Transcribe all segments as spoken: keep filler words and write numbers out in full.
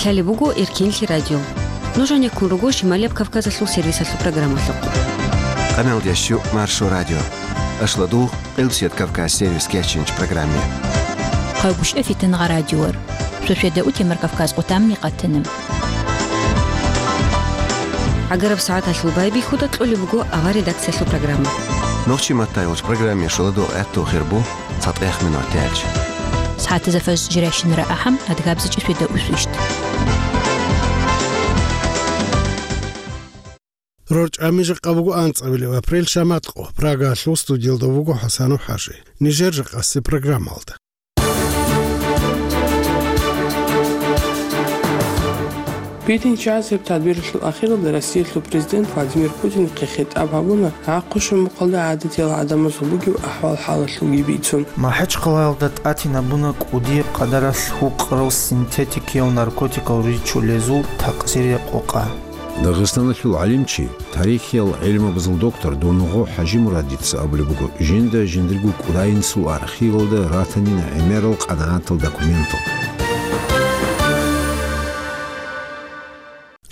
Лъалеб буго Эркинлъи радио. Нуж гьанеккун руго Шималияб Кавказалъул сервисалъул программалъухъ. Къаналдящу Маршо радио. Ашладугъ, Къилбсият Кавказ сервис кечинч программе. Хъагушев Фитангъа радиор. Шошеда утемар Кавказ къутамни къатанам. Агараб сагӀаталъул байбихьуда кьолеб буго авар редакциялъул программа. Нохчи матайулч программе шоладо гӀатту хирбу. ЦатӀех минуталъ. СагӀатазда фажр жирайщинара ахӀам, адгабзичӀеб шведа усвищ. РорчӀами жакъа буго анцӀабилеб апрель, шаматкъо. Прагалъул студиялда вуго ХӀасанов ХӀажи. Нижер жакъасе программалда. Битинчасеб тадбиралъул ахиралда Россиялъул президент Владимир Путинихъе хитӀаб гьабуна гӀахъуша мухъалда гӀадатиял гӀадамазул бугеб ахӀвал-хӀалалъулги бицун. МахӀачхъалаялда тӀатинабуна кӀудияб къадаралъ гьукъарал синтетикиял наркотикал ричулезул такъсирия къокъа. Дагъистаналъул гӀалимчи, тарихиял гӀилмабазул доктор Донгъо ХӀажимурадица абулеб буго, жинда жиндирго кӀудияб инсул архивалда ратанин гӀемерал къанагӀатал документал.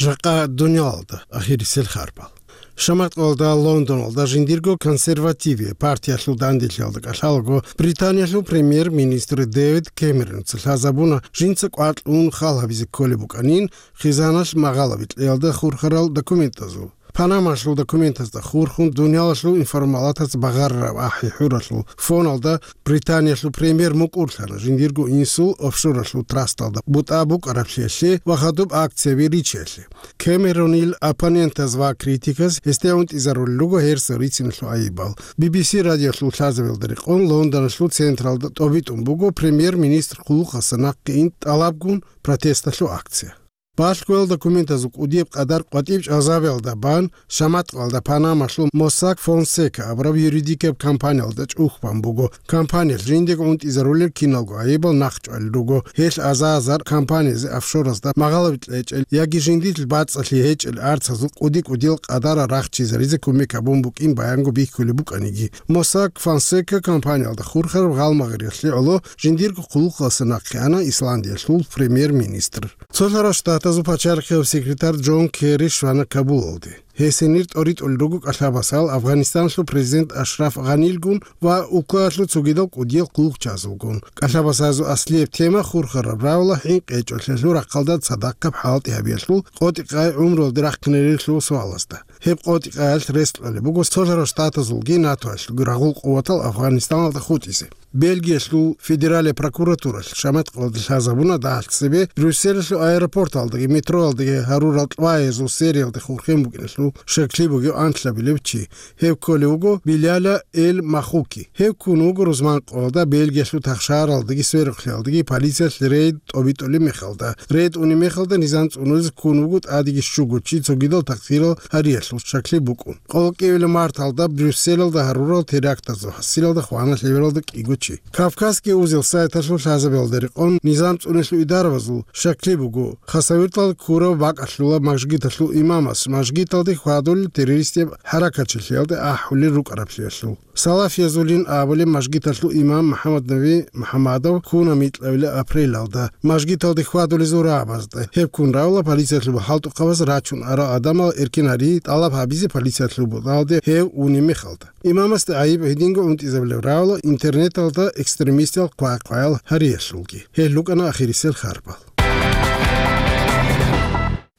Жакъа дуниялалда ахирисел харбал. Шаматкъалда Лондоналда жиндирго консервативия партиялъул данделъиялда кӀалъалаго Британиялъул премьер-министр Дэвид Кэмеронца лъазабуна жинца кӀвар кьун хал гьабизе кколеб букӀанин хизаналъ магъалаби кьеялда хурхарал документазул. Панамалъул документазда хурхун дуниялалъул информалатаз багъарараб ахӀи-хӀуралъул фоналда Британиялъул премьер мукӀурлъана жиндирго инсул офшоралъул трасталда бутӀа букӀараблъиялъе ва хадуб акцияби ричиялъе. Кэмеронил оппонентаз ва критиказ гьесде унтӀизарулел руго гьерсал рициналъул айибал. Би би си радиолъул лъазабиялда рекъон Лондоналъул централда тӀобитӀун буго премьер-министр хъулухъалъа нахъе ин тӀалабгун протесталъул акция. Балъгоял документазул кӀудияб къадар къватӀиб чӀалзабиялда бан, шаматкъалда Панамалъул Mossack Fonseca абураб юридикаб компаниялда чӀухь бан буго. Компаниялъ жиндего унтӀизарулел киналго айибал нахъчӀвалел руго. Гьелъ аза-азар компаниязе офшоразда магъалаби кьечӀел яги жиндилъ бацӀцӀалъи гьечӀел арцазул кӀуди-кӀудиял къадарал рахчизаризе кумек гьабун букӀин баянго бихьулеб букӀаниги. Mossack Fonseca компаниялда хурхараб гъалмагъириялъе гӀоло жиндирго хъулухъалъа нахъе ана Исландиялъул премьер-министр. Цолъарал Штатазул пачарихъияв секретарь Джон Керри щвана Кабулалде. Гьесенир тӀоритӀулел руго кӀалъабасал Афганистаналъул президент Ашраф Гъанилгун ва улкаялъул цогидал кӀудиял хъулухъчазулгун. КӀалъабасазул аслияб тема хурхараб равла хӀинкъи гьечӀолъиялъул рахъалда цадахъаб хӀалтӀи гьабиялъул къотӀи-къай гӀумруялде рахъинарилъул суалазда. Гьеб къотӀи-къаялъ рес кьолеб буго Цолъарал Штатазулги НАТОялъулги рагъул къуватал Афганистаналда хутӀизе. Бельгиялъул федералияб прокуратуралъ шаматкъалда лъазабуна дагьалъ цебе Брюсселалъул аэропорталдаги метроялдаги гьарурал тӀваязул сериялде хурхен букӀиналъул щаклъи бугев анлъабилев чи. Гьев кколев вуго Биляля Эль Махуки. Гьев ккун вуго рузманкъоялда, Бельгиялъул тахшаралдаги сверухълъиялдаги полициялъ рейд тӀобитӀулеб мехалда. Рейд унеб мехалда низам цӀунулез ккун вуго тӀадеги щуго чи цогидал такъсирал гьариялъул щаклъи букӀун. Къоло кӀиабилеб марталда Брюсселалда гьарурал терактазул хӀасилалда хвана лъебералда кӀиго чи. Кавказский узел сайталъул лъазабиялда рекъон низам цӀунулъул идарабазул щаклъи буго, Хасавюрталда ккурав бакӀалъула мажгиталъул имамас мажгиталде хьвадулел террористияб хӀаракатчилъиялде ахӀулел рукӀараблъиялъул. Салафиязулин абулеб мажгиталъул имам МухӀаммад Наби МухӀаммадов ккуна микьабилеб апрелалда мажгиталде хьвадулезул рагӀабазда. Гьеб ккун равла полициялъул хӀалтӀухъабаз рачун арал гӀадамал эркин гьари тӀалаб гьабизе полициялъул бутӀалде гьев унеб мехалда. Имамасде гӀайиб гьединго унтӀизабулеб равла интернеталда экстремистиял хъвай-хъваял гьариялъулги. Гьел рукӀана ахирисел харбал.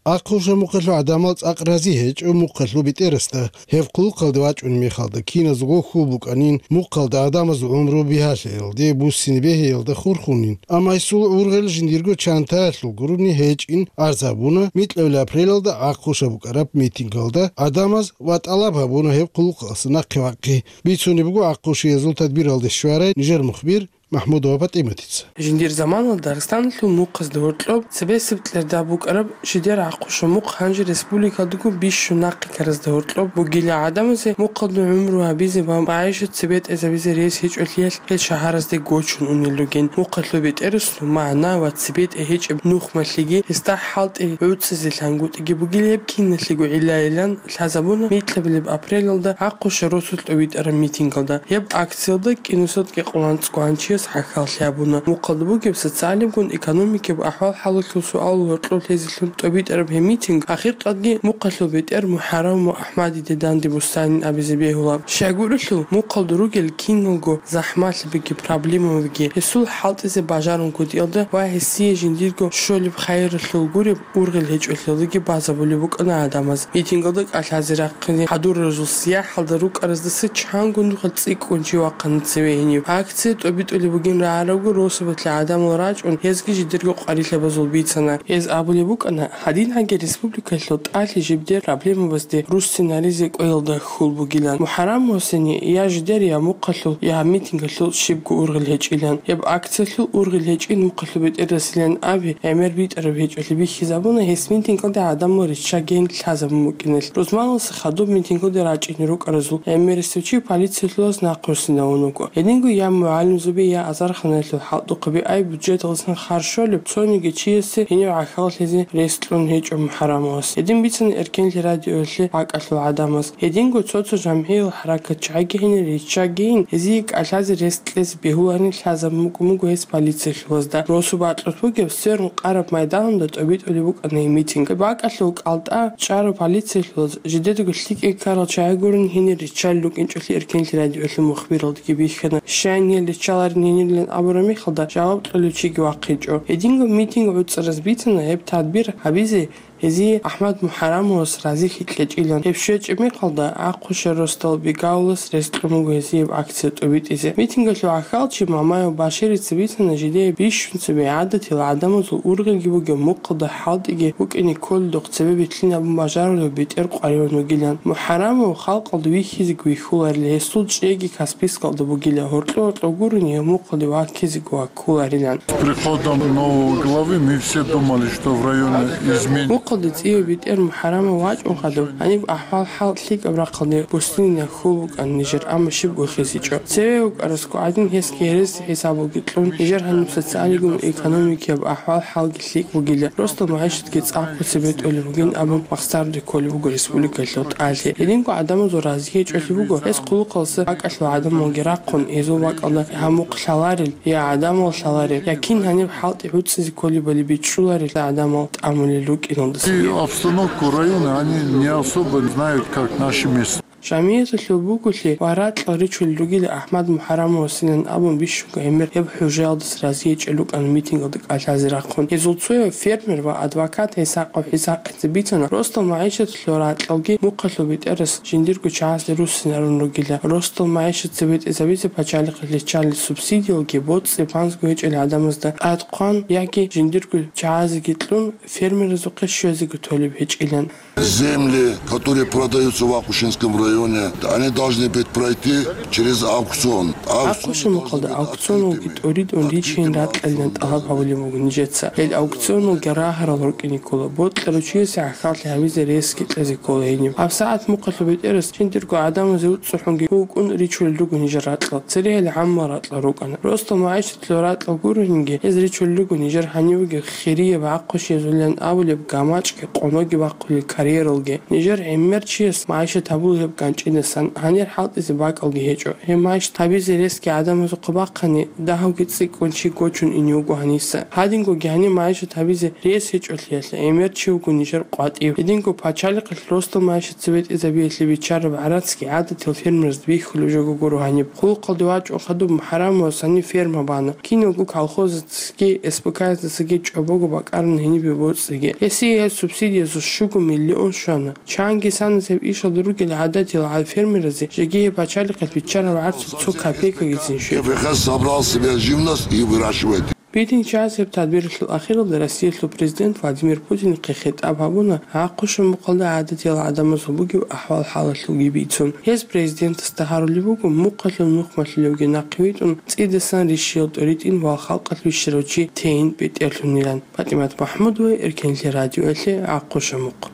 Ахъуша мухъалъул гӀадамал цӀакъ рази гьечӀо мухъалъул бетӀерасда. Гьев хъулухъалде вачӀунеб мехалда киназго хьул букӀанин, мухъалда гӀадамазул гӀумру бигьалъиялде, буссине бегьиялда хурхунин. Амма гьесул гӀургъел жиндирго чантаялъул гурони гьечӀин арз гьабуна микьабилеб апрелалда Ахъуша букӀараб митингалда гӀадамаз ва тӀалаб гьабуна гьеб хъулухъалъа нахъе вахъи. Бицунеб буго Ахъушиязул тадбиралде щварай нижер мухбир МахӀмудова ПатӀиматица. Жиндир заманалда Дагъистаналъул мухъазда гьоркьоб цебесеб кьерда букӀараб жидер Ахъуша мухъ гьанже республикалдаго бищун нахъе ккаразда гьоркьоб бугила. ГӀадамазе мухъалда гӀумру гьабизе ва магӀишат цебетӀезабизе рес гьечӀолъиялъ гьел шагьаразде гочун унел ругин. Мухъалъул бетӀерасул магӀна ва цебетӀе гьечӀеб нухмалъиги гьесда хӀалтӀи гӀуцӀизе лъангутӀиги бугила. Гьеб киналъего гӀиллайилан лъазабуна микьабилеб апрелалда Ахъуша росулъ тӀовитӀараб митингалда. Гьеб акциялда кӀинусиялда кӀикъоялда анцӀго гьанчияс гӀахьаллъи гьабуна. Мухъалда бугеб социалиябгун экономикияб ахӀвал-хӀалалъул суалал гьоркьоб лъезелъун тӀобитӀараб гьеб митинг ахиркъадги мухъалъул бетӀер МухӀарам ва АхӀмадиде данде буссанин абизе бегьула. Щайгурелъул, мухъалда ругел киналго захӀмалъабиги проблемабиги гьесул хӀалтӀизе бажарун кутӀиялда ва гьесие жиндирго щолеб хайиралъул гуреб ургъел гьечӀолъиялдаги базабулеб букӀана гӀадамаз. Митингалда кӀалъазе рахъине хӀадуразул сияхӀалда рукӀараздаса чанго нухалъ цӀикӀкӀун чи вахъана цеве гьенив. Акция тӀобитӀулеб бугин рагӀарабго росабалъе гӀадамал рачӀун, гьезги жидерго къварилъабазул бицана. Гьез абулеб букӀана, гьадин гьаги республикалъул тӀалъи жибдер проблемабазде руссинаризе кӀвелалда хьул бугилан. МухӀарам Мусине я жидер, я мухъалъул, я митингалъул щибго ургъел гьечӀилан. Гьеб акциялъул ургъел гьечӀин мухъалъул бетӀерасилан аби, гӀемер битӀараб гьечӀолъи бихьизабуна гьес митингалда гӀадамал риччагейин лъазабун букӀиналъ. Рузманалдаса хадуб митингалде рачӀине рукӀаразул гӀемерисев чи полициялъулаз нахъруссинавун вуго. Гьединго я мугӀалимзаби, я азарханалъул хӀалтӀухъаби ай бюджеталдасан харж щолеб цониги чиясе гьенив гӀахьаллъизе рес кьун гьечӀо МухӀарамовас. Гьедин бицана Эркенлъи радиоялъе бакӀалъул гӀадамаз. Гьединго цо-цо жамгӀиял хӀаракатчагӀиги гьенир риччагейин, гьезие кӀалъазе рес кьезе бегьуларин лъазабун букӀун буго гьес полициялъулазда. Росу бакьулъ бугеб сверун къараб майданалда тӀобитӀулеб букӀана гьеб митинг. БакӀалъул кӀалтӀа чӀарав полициялъулаз жидедаго лъикӀай ккарал чагӀи гурин гьенир риччалел рукӀинчӀолъи Эркенлъи радиоялъул мухбиралдаги бихьана. Щайин гьел риччаларин гьенирилан абураб мехалда жаваб кьолев чиги вахъинчӀо. Гьединго митинг гӀуцӀараз бицана гьеб тадбир гьабизе гьезие АхӀмад МухӀарамовас разихьи кьечӀилан. Гьеб щвечӀеб мехалда Ахъушев Ростал Бегаулас рес кьун буго гьезие гьеб акция тӀобитӀизе. Митингалъул гӀахьалчи Мамаев Баширица бицана жидее бищун цебе гӀадатил гӀадамазул ургъелги бугеб мухъалда хӀалтӀиги букӀине кколелдухъ цебе битлъинабун бажарулев бетӀер къваригӀун вугилан. МухӀарамов халкъалда вихьизеги вихьуларила, гьесул чӀейги Каспийскалда бугила, гьоркьо-гьоркьо гурони гьев мухъалде ваккизеги ваккуларилан. С приходом нового главы мы все думали, что в районе изменится. Мухъалде цӀияв бетӀер МухӀарамов вачӀун хадуб, гьаниб ахӀвал-хӀал лъикӀаб рахъалде буссинилан хьул букӀана нижер, амма щибго хисичӀо. Цеве вукӀарасго гӀадин гьесги гьереси хӀисабалги кьун, нижер гьаниб социалигун экономикияб ахӀвал-хӀалги лъикӀ бугила, росдал магӀишатги цӀакъго цебетӀулеб бугин абун махсарде кколеб буго республикалъул тӀалъи. Гьединго гӀадамазул разие гьечӀолъи буго, гьес хъулухъалдаса бакӀалъул гӀадамалги рахъун, гьезул бакӀалда гьамухъ лъаларел, я гӀадамал лъаларел, я кин гьаниб хӀалтӀи гӀуцӀизе кколебали бичӀчӀуларел гӀадамал тӀамулел рукӀиналдасаги. И обстановку района они не особо знают, как наши местные. Жамигьаталъул буголъи ва ракьал ричулел ругила АхӀмад МухӀарамовасилан абун бищунго гӀемер гьеб хӀужаялдаса разие гьечӀел рукӀана митингалда кӀалъазе рахъун. Гьезул цояв фермер ва адвокат ГӀисакъов ГӀисакъица бицана, росдал магӀишаталъул ракьалги мухъалъул бетӀерас жиндирго чагӀазде руссинарун ругила. Росдал магӀишат цебетӀезабизе пачалихъалъ риччалел субсидиялги боцӀи-банзго гьечӀел гӀадамазда тӀадхъван яги жиндирго чагӀазеги кьун фермеразухъе щвезеги толеб гьечӀилан. Земли, которые продаются в Ахушинском районе, они должны быть пройти через аукцион. Ахъушин мухъалда аукционалги тӀуридун ричейин ракьалилан тӀалаб гьабулеб буго нижеца. Гьел аукционалги рагьарал рукӀине ккола, бокьарав чиясе гӀахьаллъи гьабизе ресги кьезе ккола гьениб. ГьабсагӀат мухъалъул бетӀерас жиндирго гӀадамазе уцӀцӀухӀунги вукӀун ричулел руго нижер ракьал. Церегьел гӀаммал ракьал рукӀана. Росдал магӀишаталъул ракьал гурогьинги, гьез ричулел руго нижер гьанивеги хирияб гӀахъушиязулилан абулеб гамачӀги къоноги бахъулел карьералги. Нижер гӀемер чияс магӀишат гьабула гьеб ганчӀидасан, гьанир хӀалтӀизе бакӀалги гьечӀо. Гьеб магӀишат гьабизе ресги гӀадамазухъе бахъани, дагьавги цӀикӀкӀун чи гочун ине вуго гьаниса. Гьадингоги гьаниб магӀишат гьабизе рес гьечӀолъиялъе гӀемер чи вуго нижер къватӀив. Гьединго пачалихъалъ росдал магӀишат цебетӀезабиялъе биччараб гӀарацги гӀадатил фермераз бихьулеб жого гуро гьаниб. Хъулухъалде вачӀун хадуб МухӀарамовас гьаниб ферма бана. Киналго колхозацаги СПК-яздасаги чӀобого бакӀараб гьенибе боцӀиги. Гьесие гьеб субсидиязул щуго миллион щвана. Чанги санас гьеб ишалда ругел гӀадатил гьал фермеразе жеги гьеб пачалихъалъ биччараб гӀарцул цо копейкагицин щвела. К П Х собрал себе живность и выращивает. Битинчияс гьеб тадбиралъул ахиралда Россиялъул президент Владимир Путинихъе хитӀаб гьабуна, гӀахъушин мухъалда гӀадатиял гӀадамазул бугеб ахӀвал-хӀалалъулги бицун. Гьез президентасда гьарулеб буго, мухъалъул нухмалъулевги нахъе витӀун, цӀидасан рищиял тӀоритӀин ва халкъалъ вищарав чи тейин бетӀерлъунилан. ПатӀимат МахӀмудова, Эркенлъи радиоялъе, ГӀахъушин мухъ.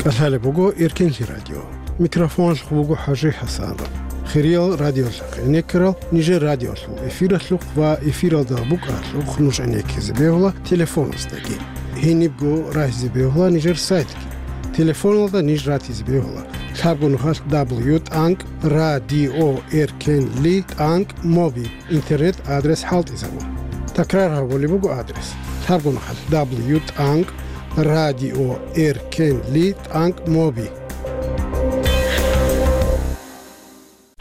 КӀалъалеб буго Эркенлъи радио. Микрофоналъухъ буго ХӀажи ХӀасанов. Хириял радиолъахъ гӀенеккарал нижер радиолъул эфиралъухъ ва эфиралда букӀаралъухъ нуж гӀенеккизе бегьула телефоназдаги. Гьенибго рагьизе бегьула нижер сайтги. Телефоналда ниж ратизе бегьула Лъабго нухалъ W тӀанкӀ радио эркенли тӀанкӀ моби интернет адрес хӀалтӀизабун. Такрар гьабулеб буго адрес: лъабго нухалъ W тӀанкӀ радио эркенли тӀанкӀ моби.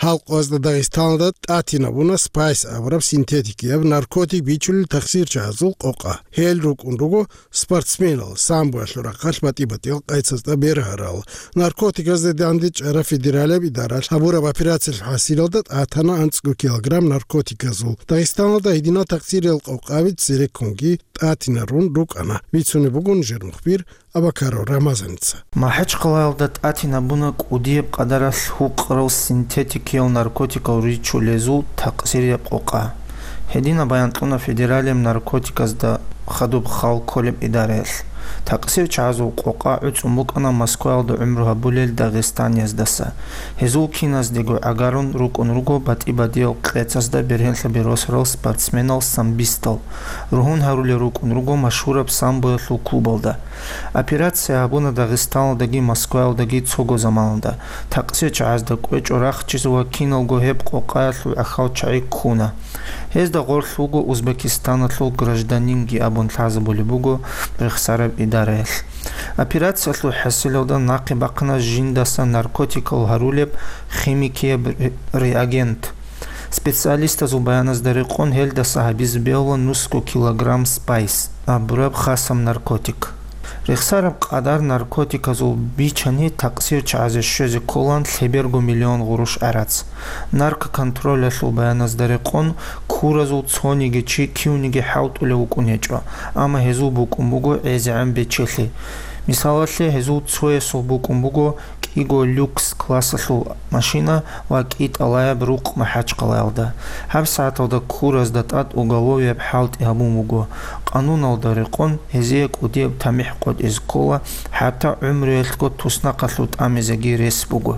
Гьал къоязда Дагъистаналда тӀатинабуна спайс абураб синтетикияб наркотик бичулел тахсирчагӀазул къокъа. Гьел рукӀун руго спортсменал, самбоялъул рахъалъ батӀи-батӀиял къецазда бергьарал. Наркотиказда дандечӀараб федералияб идаралъ гьабураб операциялъул хӀасилалда тӀатана анцӀго килограмм наркотиказул. Дагъистаналда гьединал тахсириял къокъаби цереккунги тӀатинарун рукӀана. Бицунеб буго нижер мухбир Абакаров Рамазаница. МахӀачхъалаялда тӀатинабуна кӀудияб къадаралъ гьукъарал синтетикиял наркотикал ричулезул такъсирияб къокъа. Гьединаб баян кьуна федералияб наркотиказда хадуб хал кколеб идараялъ. ТакъсирчагӀазул къокъа гӀуцӀун букӀана Москваялда гӀумру гьабулел дагъистанияздаса. Гьезул киназдего гӀагарун рукӀун руго батӀи-батӀиял къецазда бергьенлъаби росарал спортсменал-самбистал. Ругьун гьарулел рукӀун руго машгьураб самбоялъул клубалда. Операция гьабуна Дагъистаналдаги Москваялдаги цого заманалда. ТакъсирчагӀазда кӀвечӀо рахчизе ва киналго гьеб къокъаялъул гӀахьал чагӀи ккуна. Гьезда гъорлъ вуго Узбекистаналъул гражданинги абун лъазабулеб буго рехсараб идараялъ. Операциялъул хӀасилалда нахъе бахъана жиндаса наркотикал гьарулеб химикияб ре-, реагент. Специалистазул баяназда рекъон, гьелдаса гьабизе бегьула нусго килограмм спайс абураб хасаб наркотик. Рехсараб къадар наркотиказул бичани, такъсирчагӀазе щвезе кколаан лъеберго миллион гъурущ гӀарац. Наркоконтролялъул баяназда рекъон, куразул цониги чи кивниги хӀалтӀулев вукӀун гьечӀо, амма гьезул букӀун буго гӀезегӀан бечелъи. Мисалалъе, гьезул цоясул букӀун буго кӀиго люкс классалъул машина ва кӀитӀалаяб рукъ МахӀачхъалаялда. ГьабсагӀаталда куразда тӀад уголовияб хӀалтӀи гьабун буго. Къануналда рекъон, гьезие кӀудияб тамихӀ къотӀизе ккола, хӀатта гӀумруялъго туснахъалъув тӀамизеги рес буго.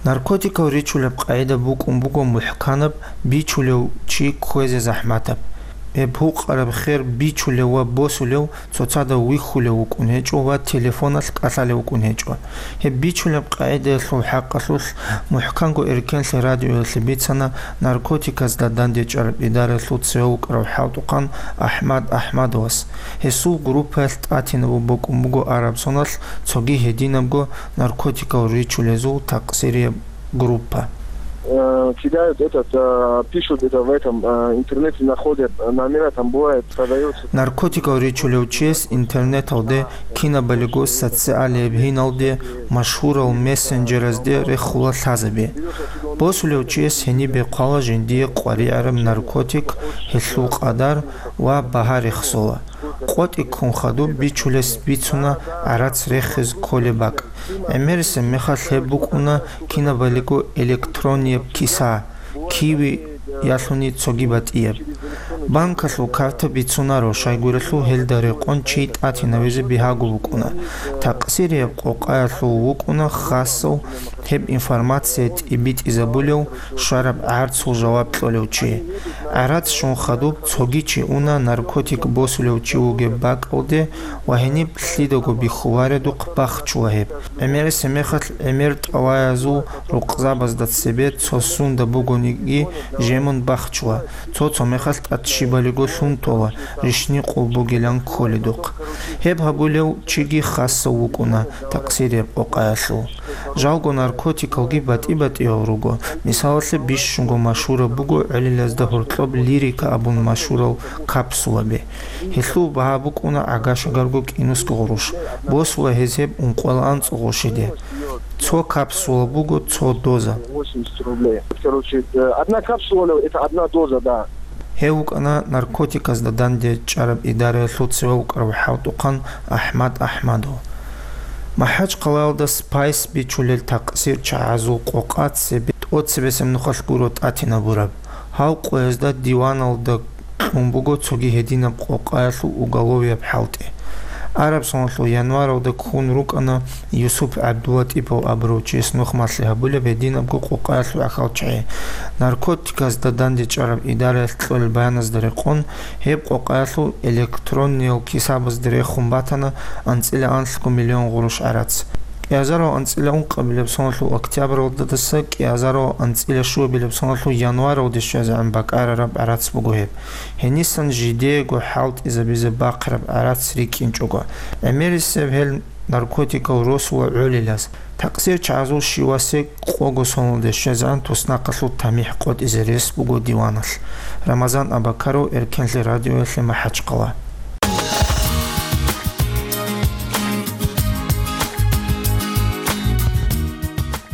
Наркотикал ричулеб къагӀида букӀун буго мухӀканаб бичулев чи кквезе захӀматаб. Гьеб гьукъараб хер бичулев ва босулев цоцазда вихьулев вукӀун гьечӀо ва телефоналъ кӀалъалев вукӀун гьечӀо. Гьеб бичулеб къагӀидаялъул хӀакъалъулъ мухӀканго эркенлъи радиоялъе бицана наркотиказда дандечӀараб идараялъул цеве вукӀарав хӀалтӀухъан АхӀмад АхӀмадовас. Гьесул группаялъ тӀатинабун букӀун буго араб соналъ цоги гьединабго наркотикал ричулезул такъсирияб группа. Э, кидают этот, э, пишут это в этом, э, интернете находят, э, номера там бывает, продается. Наркотикал ричулев чияс интернеталде, кинабалиго социалияб гьиналде, машгьурал мессенджеразде рехула лъазаби. Босулев чияс гьенибе хъвала жиндие къваригӀараб наркотик, гьелъул къадар ва багьа рехсола. КъотӀи ккун хадуб бичулес бицуна гӀарац рехиз кколеб бакӀ. ГӀемерисеб мехалъ гьеб букӀуна кинабалиго электронияб киса, киви ялъуни цоги батӀияб. Банкалъул карта бицунаро, щайгурелъул гьелда рекъон чи тӀатинавизе бигьаго букӀуна. Такъсирияб къокъаялъул вукӀуна хасав гьеб информация тӀибитӀизабулев, щвараб гӀарцул жаваб кьолев чи. ГӀарац щун хадуб цоги чи уна наркотик босулев чи вугеб бакӀалде ва гьениб лъидаго бихьуваредухъ бахчула гьеб. ГӀемерисеб мехалъ гӀемер тӀалаязул рукъзабазда цебе цо сунда бугониги жемун бахчула, цо-цо мехалъ тӀад щибалиго лъун тола, рищни къулбугилан кколедухъ. Гьеб гьабулев чиги хасав вукӀуна такъсирияб къокъаялъул. Жалго наркотикалги батӀи-батӀиял руго. Мисалалъе, бищунго машгьураб буго гӀолилазда гьоркьоб лирика абун машгьурал капсулаби. Гьелъул багьа букӀуна гӀага-шагарго кӀинусго гъурущ. Босула гьез гьеб ункъоялда анцӀго гъурщиде. Цо капсула буго цо доза. Восемьдесят рублей. Короче, э, одна капсула, это одна доза, да. Гьев вукӀана наркотиказда дандечӀараб идараялъул цеве вукӀарав хӀалтӀухъан АхӀмад АхӀмадов. МахӀачхъалаялда спайс бичулел такъсирчагӀазул къокъа цебе тӀоцебесеб нухалъ гуро тӀатинабураб. Гьал къоязда диваналда кьун буго цоги гьединаб къокъаялъул уголовияб хӀалтӀи. Араб соналъул январалда ккун рукӀана Юсуп ГӀабдулатӀипов абурав чияс нухмалъи гьабулеб гьединабго къокъаялъул гӀахьалчагӀи. Наркотиказда дандечӀараб идараялъ кьолел баяназда рекъон, гьеб къокъаялъул электрониял кисабазда рехун батана анцӀила анлъго миллион гъурущ гӀарац. Кьиазаров анцӀила ункъабилеб соналъул октябралдаса кьиазаров анцӀила щуабилеб соналъул январалде щвезегӀан бакӀарараб гӀарац буго гьеб. Гьенисан жидеего хӀалтӀизабизе бахъараб гӀарац рикӀкӀинчӀого, гӀемерисеб гьел наркотикал росула гӀолилаз, такъсир чагӀазул щивасе къого соналде щвезегӀан туснахъалъул тамихӀ къотӀизе рес буго диваналъ. Рамазан Абакаров, Эркенлъи радиоялъе, МахӀачхъала.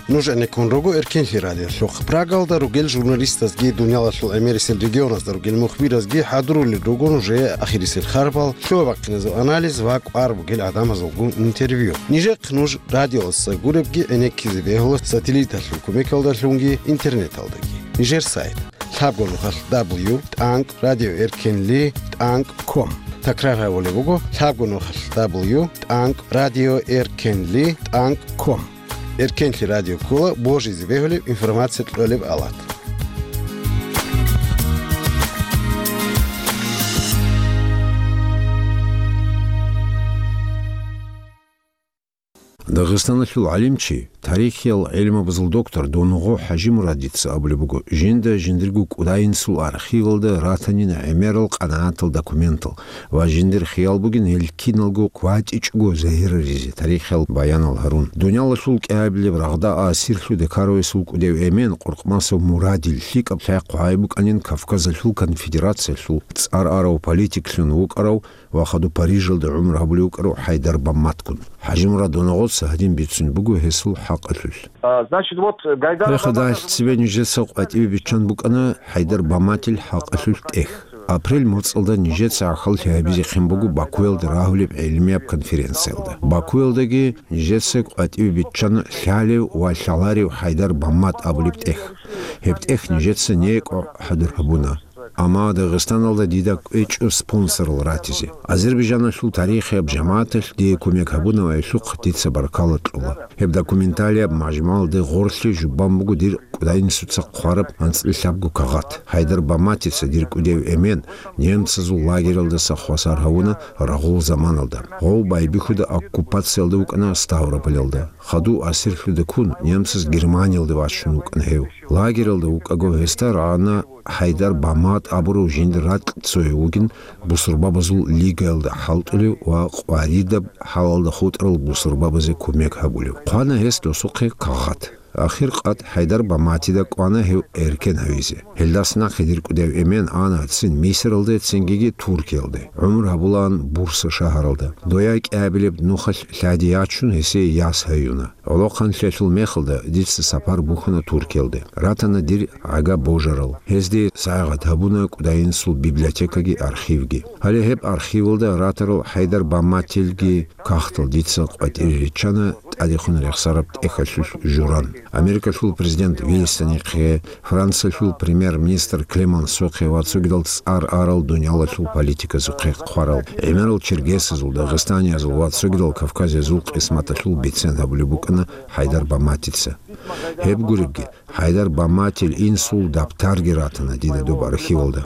Нуж гӀенеккун руго Эркенлъи радиолъухъ. Прагалда ругел журналистазги, дуниялалъул гӀемерисел регионазда ругел мухбиразги хӀадурулел руго нужее ахирисел харбал, лъугьа-бахъиназул анализ ва кӀвар бугел гӀадамазулгун интервью. Нижехъ нуж радиоялдаса гуребги гӀенеккизе бегьула сателлиталъул кумекалдалъунги интернеталдаги. Нижер сайт: лъабго нухалъ дабл ю тӀанкӀ радио эркенли тӀанкӀ ком. Такрар гьабулеб буго: лъабго нухалъ дабл ю тӀанкӀ радио эркенли тӀанкӀ ком. Эркенлъи радио ккола божизе бегьулеб информация кьолеб алат. Дагъистаналъул гӀалимчи, тарихиял гӀелмабазул доктор Донгъо ХӀажимурадица абулеб буго, жинда жиндирго кӀудайинсул архивалда ратанин гӀемерал къанагӀатал документал ва жиндир хиял бугин гьел киналго кватӀичӀого загьираризе тарихиял баянал гьарун. Дуниялалъул кӀиабилеб рагъда асирлъуде ккаравесул кӀудев эмен Къуркъмасов Мурадил лъикӀаб лъай хъвай букӀанин Кавказалъул конфедерациялъул цӀар арав политиклъун вукӀарав ва хадуб Парижалда гӀумру гьабулев вукӀарав ХӀайдар Бамматгун. ХӀажимурад Донгъоца гьадин бицунеб буго гьесул хӀакъалъулъ. А, значит, вот, Гайдар Гьеб хадуб Бамматов нижеца къватӀиве биччан букӀана ХӀайдар Бамматил хӀакъалъулъ тӀех. Апрель моцӀалда нижеца гӀахьаллъи гьабизехъин буго Бакуялда рагьулеб гӀелмияб конференциялда. Бакуялдаги нижеца къватӀиве биччана лъалев ва лъаларев ХӀайдар Баммат абулеб тӀех. Гьеб тӀех нижеца некӀо хӀадур гьабуна. Амма Дагъистаналда дида кӀвечӀо спонсорал ратизе. Азербайджаналъул тарихияб жамагӀаталъ дие кумек гьабунаб гӀелъухъ дица баркала кьола. Гьеб документалияб мажмугӀалде гъорлъе жубан буго дир кӀудайинсуца хъвараб анцӀила лъабго кагъат. ХӀайдар Бамматица дир кӀудев эмен немцазул лагералдаса хвасар гьавуна рагъул заманалда. Гъов байбихьуда оккупациялда вукӀана Ставрополалда. Хадув асирлъуде ккун, немцаз Германиялде вачун вукӀана гьев. Лагералда вукӀаго гьесда рагӀана ХӀайдар Баммат абурав жиндир ракь цояв вугин бусурбабазул лигаялда хӀалтӀулев ва къваридаб хӀалалда хутӀарал бусурбабазе кумек гьабулев. Хъвана гьес досухъе кагъат. Ахир къад ХӀайдар Бамматида кӀвана гьев эркен гьавизе. Гьелдаса нахъе дир кӀудев эмен ана цин Мисралде, цингиги Туркиялде. ГӀумру гьабулаан Бурса шагьаралда. Дояй кӀиабилеб нухалъ лъади ячун, гьесие яс гьаюна. ГӀолохъанлъиялъул мехалда дица сапар бухьана Туркиялде. Ратана дир гӀага божарал. Гьезде сайгъат гьабуна кӀудайинсул библиотекаги архивги. Гьале гьеб архивалда ратарал ХӀайдар Бамматилги кагътал дица къватӀире риччана тӀадехун рехсараб тӀехьалъулъ журан. Америкалъул президент Вильсонихъе, Франциялъул премьер-министр Клемансохъе ва цогидал цӀар арал дуниялалъул политиказухъе хъварал, гӀемерал черкесазул, дагъистаниязул ва цогидал кавказиязул къисматалъул бицен гьабулеб букӀана ХӀайдар Бамматица. Гьеб гуребги, ХӀайдар Бамматил инсул дабтарги ратана дида доб архивалда.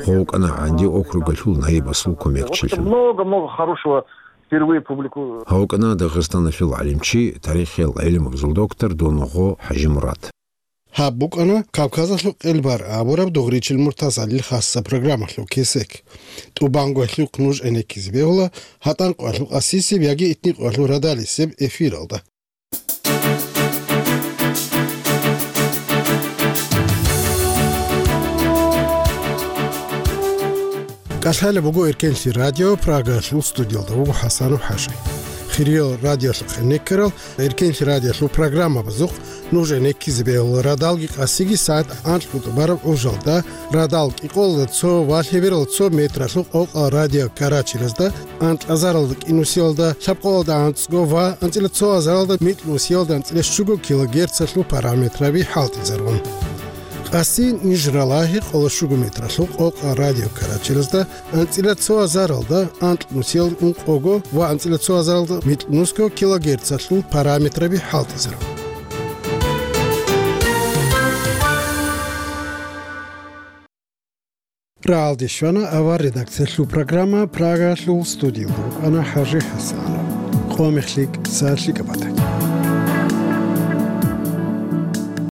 Гъов вукӀана ГӀанди округалъул наибасул кумекчилъун. Много-много хорошего впервые публику- Гьав вукӀана Дагъистаналъул гӀалимчи, тарихиял гӀелмабазул доктор Донгъо ХӀажимурад. Гьаб букӀана Кавказалъул къелбар абураб Дугъричил Муртазалил хасса программалъул кесек. ТӀубанго гьелъухъ нуж гӀенеккизе бегьула гьатӀан къоялъул къасисеб яги итни къоялъул радалисеб эфиралда. КӀалъалеб буго Эркенлъи радио, Прагалъул студиялда вуго ХӀасанов ХӀажи. Хириял радиолъухъ гӀенеккарал Эркенлъи радиолъул программабазухъ нуж гӀенеккизе бегьула радалги къасиги сагӀат анкьго тӀубараб гӀужалда, радал кӀикъоялда цо ва лъеберал цо метралъул къокъал радиокарачелазда, анкьазаралда кӀинусиялда, лъабкъоялда анцӀго ва анцӀила цо азаралда микьнусиялда анцӀила щуго килогерцалъул параметраби хӀалтӀизарун. Къаси ниж ралагьи къоло щуго метралъул къокъал радиокарачелазда, анцӀила цо азаралда анкьнусиялда ункъого ва анцӀила цо азаралда микьнусго килогерцалъул параметраби хӀалтӀизарун. Рагьалде щвана авар редакциялъул программа, Прагалъул студиялда вукӀана ХӀажи ХӀасанов. Къо мехлъи кӀиса лъикӀаб батани.